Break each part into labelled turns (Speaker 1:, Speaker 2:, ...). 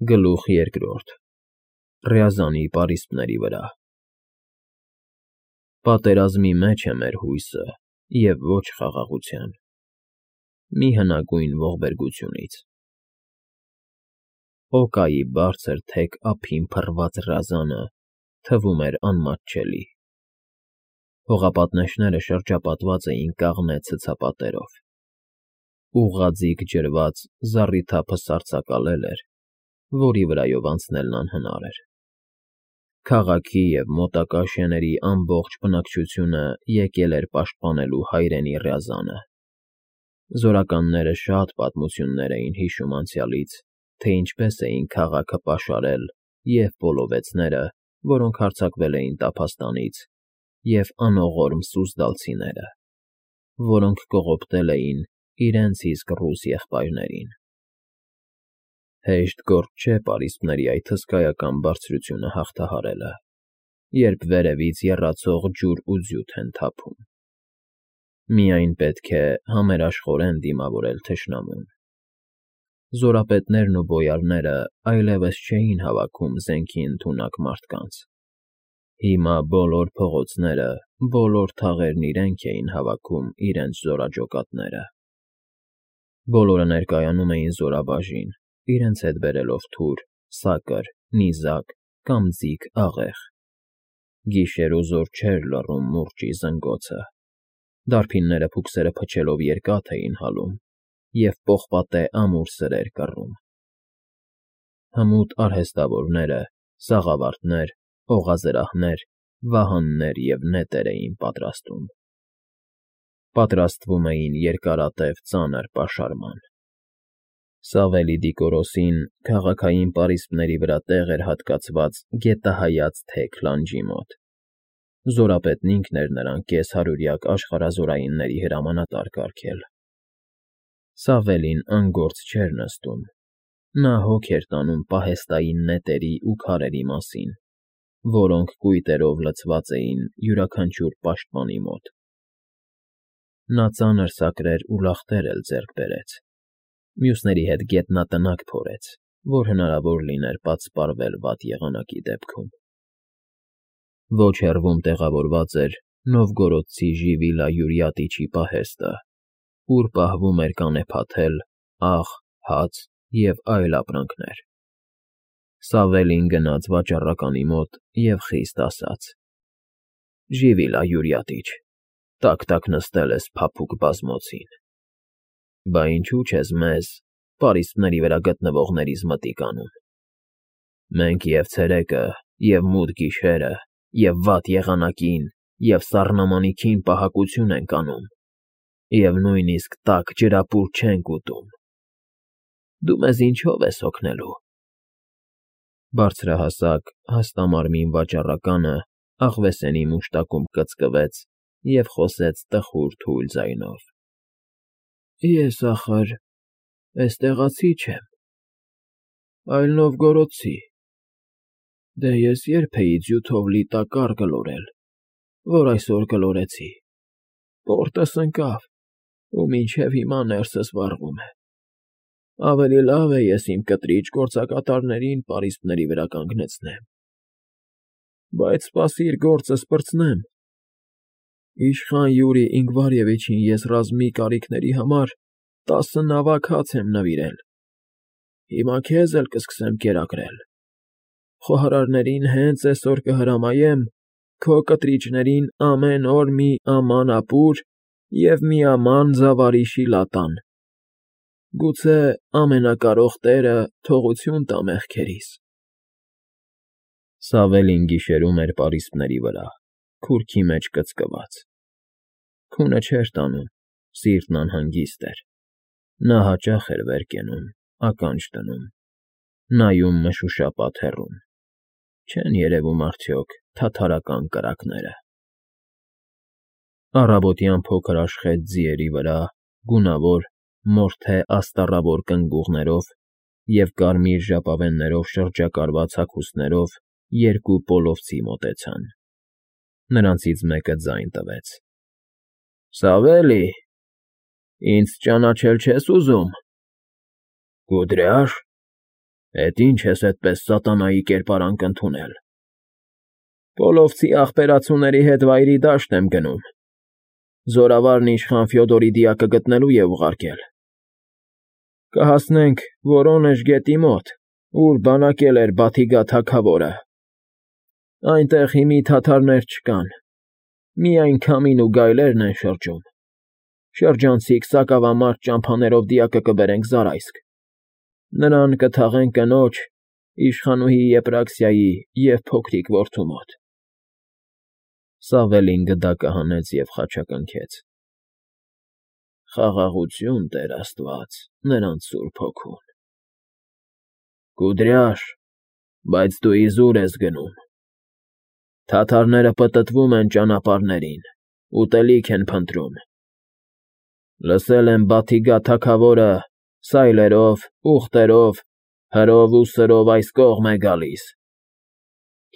Speaker 1: Գլուխ երկրորդ Ռյազանի պարիսպների վրա Պատերազմի մեջ է մեր հույսը և ոչ խաղաղության, մի հնագույն ողբերգությունից։ Օկայի բարձր թեք ափին փռված ռազանը թվում էր անմատչելի։ Հողապատնեշները շրջապատված էին կաղնե ցցապատերով։ Ուղղաձիգ ջրված զառիթափը սառցակալել էր, որի վրայով անցնելն անհնար էր։ Քաղաքի և մոտակա շեների ամբողջ բնակչությունը եկել էր պաշտպանելու հայրենի Ռյազանը։ Զորականները շատ պատմություններ էին հիշում անցյալից, թե ինչպես էին քաղաքը պաշարել և պոլովեցները, որոնք հարձակվել էին տափաստանից, և անողորմ սուզդալցիները, որոնք կողոպտել էին իրենց իսկ ռուս եղբայրներին։ Հեշտ գործ չէ պարիսպների այդ հսկայական բարձրությունը հաղթահարելը, երբ վերևից եռացող ջուր ու ձյութ են թափում։ Միայն պետք է համերաշխորեն դիմավորել թշնամուն։ Զորապետներն ու բոյարները այլևս չէին հավաքում զենքի ընդունակ մարդկանց։ Հիմա բոլոր փողոցները, բոլոր թաղերն իրենք էին հավաքում իրենց զորաճոկատները։ Բոլորը ներկայանում էին զորաբաժին, իրենց հետ բերելով թուր, սակր, նիզակ կամ ձիգ աղեղ։ Գիշերուզօր չէր լռում մուրճի զնգոցը։ Դարբինները փուքսերը փչելով երկաթ էին հալում և պողպատե ամուր սրեր կռում։ Հմուտ արհեստավորները, սաղավարտներ, օղազրահներ, վահաններ և նետեր էին պատրաստում։ Պատրաստվում էին երկարատև ծանր պաշարման։ Սավելի Դիկորոսին քաղաքային պարիսպների վրա տեղ էր հատկացված գետահայաց թեք լանջի մոտ։ Զորապետն ինքն էր նրան կես֊հարյուրյակ աշխարհազորայինների հրամանատար կարգել։ Սավելին անգործ չէր նստում։ Նա հոգ էր տանում պահեստային նետերի ու քարերի մասին, որոնք կույտերով լցված էին յուրաքանչյուր պաշտպանի մոտ։ Նա ծանր սակրեր ու լախտեր էլ ձեռք բերեց։ Մյուսների հետ գետնատնակ փորեց, որ հնարավոր լիներ պատսպարվել վատ եղանակի դեպքում։ Ոչ հեռվում տեղավորված էր նովգորոդցի Ժիվիլա Յուրյատիչի պահեստը, ուր պահվում էր կանեփաթել, աղ, հաց և այլ ապրանքներ։ Սավելին գնաց վաճառականի մոտ և խիստ ասաց. «Ժիվիլա Յուրյատիչ, տաք նստել ես փափուկ բազմոցին։ Բա ինչու չես մեզ, պարիսպների վրա գտնվողներիս մտիկ անում։ Մենք և ցերեկը, և մութ գիշերը, և վատ եղանակին, և սառնամանիքին պահակություն ենք անում, և նույնիսկ տաք ջրապուր չենք ուտում։ Դու մեզ ինչո՞վ ես օգնելու»։ Բարձրահասակ, հաստամարմին վաճառականը աղվեսենի մուշտակում կծկվեց և խոսեց տխուր թույլ ձայնով. «Ես, ախր, էստեղացի չեմ, այլ Նովգորոդցի։ Դե ես ե՞րբ էի ձյութով լի տակառ գլորել, որ այսօր գլորեցի։ Պորտս ընկավ, ու մինչև հիմա ներսս վառվում է։ Ավելի լավ է ես իմ կտրիջ գործակատարներին պարիսպների վրա կանգնեցնեմ։ Բայց սպասիր գործս պրծնեմ։ Իշխան Յուրի Ինգվարևիչին ես ռազմի կարիքների համար 10 նավակ հաց եմ նվիրել։ Հիմա քեզ էլ կսկսեմ կերակրել։ Խոհարարներին հենց էսօր կհրամայեմ քո կտրիճներին ամեն օր մի աման ապուր և մի աման ձավարի շիլա տան։ Գուցե Ամենակարող Տերը թողություն տա մեղքերիս»։ Սավելին գիշերում էր պարիսպների վրա, քուրքի մեջ կծկված։ Քունը չէր տանում, սիրտն անհանգիստ էր։ Նա հաճախ էր վեր կենում, ականջ դնում, նայում մշուշապատ հեռուն։ Չեն երևում արդյոք թաթարական կրակները։ Առավոտյան փոքր աշխեց ձիերի վրա, գունավոր, մորթե աստառավոր կնգուղներով և կարմիր ժապավեններով շրջակարված հագուստներով երկու պոլովցի մոտեցան։ Նրանցից մեկը ձայն տվեց. «Սավելի, ինձ ճանաչել չես ուզում»։ «Կուդրյա՞շ։ Էդ ինչ ես այդպես սատանայի կերպարանք ընդունել։ Պոլովցի աղբերացուների հետ վայրի դաշտ եմ գնում։ Զորավարն իշխան Ֆյոդորի դիակը գտնելու է ուղարկել։ Կհասնենք Որոնեժ գետի մոտ, ուր բանակել էր Բաթիգա թագավորը։ Այնտեղ հիմի թաթարներ չկան, միայն քամին ու գայլերն են շրջում։ Շրջանցիկ սակավամարտ ճամփաներով դիակը կբերենք Զարայսկ։ Նրան կթաղենք կնոջ, իշխանուհի Եպրաքսիայի և փոքրիկ որդու մոտ։ Սավելին գդակը հանեց և խաչակնքեց. Խաղաղություն, Տեր Աստված, նրանց Սուրբ Հոգուն։ Կուդրյաշ, բայց դու իզուր ես գնում։ Թաթարները պտտվում են ճանապարհներին, ուտելիք են փնտրում։ Լսել եմ Բաթիգա թագավորը սայլերով, ուղտերով, հրով ու սրով այս կողմ է գալիս։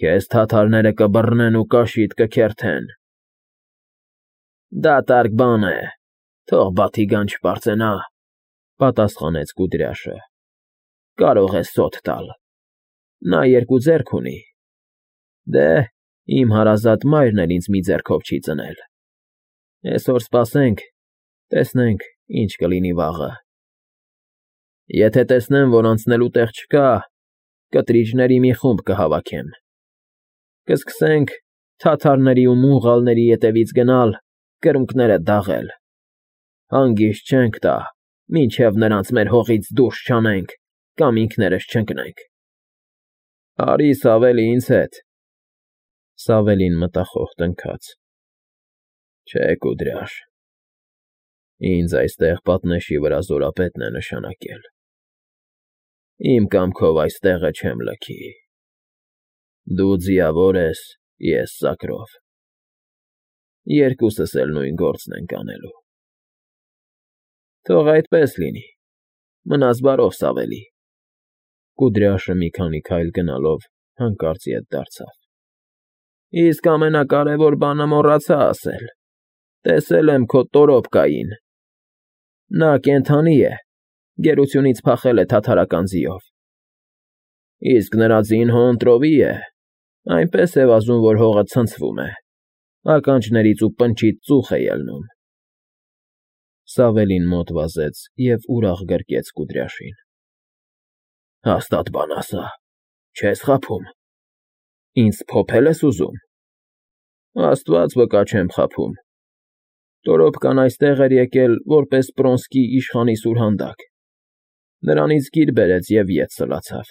Speaker 1: Քեզ թաթարները կբռնեն ու կաշիդ կքերթեն։ Դատարկ բան է, թող Բաթիգան չպարծենա, պատասխանեց Կուդրյաշը։ Կարող է սոթ տալ։ Նա երկու ձեռք ունի։ Դե, իմ հարազատ մայրն էլ ինձ մի ձեռքով չի ծնել։ Այսօր սպասենք, տեսնենք, ինչ կլինի վաղը։ Եթե տեսնեմ, որ անցնելու տեղ չկա, կտրիճների մի խումբ կհավաքեմ։ Կսկսենք թաթարների ու մուղալների ետևից գնալ, կրունկները դաղել։ Հանգիստ չենք տա, մինչև նրանց մեր հողից դուրս չանենք կամ ինքներս չընկնենք։ Արի Սավելի ինձ հետ։ Սավելին մտախոհ տնքաց. Չէ, Կուդրյաշ, ինձ այստեղ պատնեշի վրա զորապետն է նշանակել։ Իմ կամքով այս տեղը չեմ լքի։ Դու ձիավոր ես, ես սակրով։ Երկուսս էլ նույն գործն ենք անելու։ Թող այդպես լինի։ Մնաս բարով, Սավելի։ Կուդրյաշը մի քանի քայլ գնալով հանկարծ ետ դարձավ։ Իսկ ամենակարևոր բանը մոռացա ասել։ Տեսել եմ քո տորոպկային։ Նա կենդանի է, գերությունից փախել է թաթարական ձիով։ Իսկ նրա ձին հոընտրովի է, այնպես է վազում, որ հողը ցնցվում է, ականջներից ու պնչից ծուխ է ելնում։ Սավելին մոտ վազեց և ուրախ գրկեց Կուդրյաշին։ Հաստատ բան ասա, չես խաբում։ Ինձ փոփել ես ուզում։ Աստված վկա չեմ խաբում։ Տորոպկան այստեղ էր եկել որպես Պրոնսկի իշխանի սուրհանդակ։ Նրանից գիր բերեց և ետ սլացավ։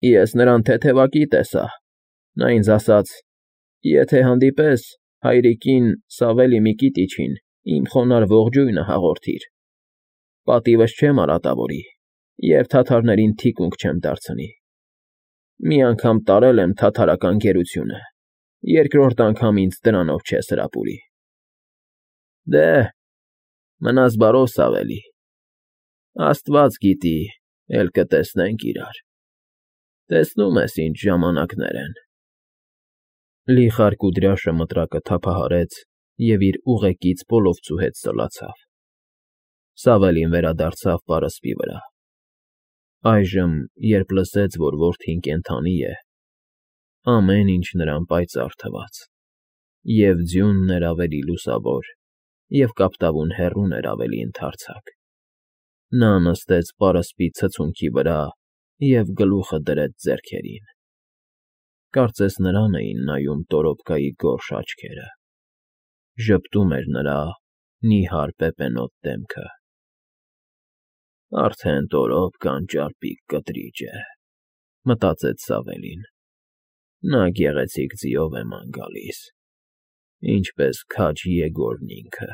Speaker 1: Ես նրան թեթևակի տեսա։ Նա ինձ ասաց. եթե հանդիպես, հայրիկին Սավելի Միկիտիչին իմ խոնարհ ողջույնը հաղորդիր։ Պատիվս չեմ արատավորի և թաթարներին թիկունք չեմ դարձնի։ Մի անգամ տարել եմ թաթարական գերությունը, երկրորդ անգամ ինձ դրանով չես հրապուրի։ Դե, մնաս բարով, Սավելի։ Աստված գիտի, էլ կտեսնենք իրար։ Տեսնում ես ինչ ժամանակներ են։ Լիխար Կուդրյաշը մտրակը թափահարեց և իր ուղեկից Պոլովցու հետ սլացավ։ Սավելին վերադարձավ պարսպի վրա։ Այժմ, երբ լսեց, որ որդին կենդանի է, ամեն ինչ նրան պայծառ թվաց, և ձյունն էր ավելի լուսավոր, և կապտավուն հեռուն էր ավելի ընդարձակ։ Նա նստեց պարսպի ցցունքի վրա և գլուխը դրեց ձեռքերին։ Կարծես նրան էին նայում տորոպկայի գորշ աչքերը։ Ժպտում էր նրա նիհար պեպենոտ դեմքը։ Արդեն տորոպկան ճարպիկ կտրիճ է, մտածեց Սավելին։ Նա գեղեցիկ ձիով է ման գալիս, ինչպես քաջ Եգորն ինքը։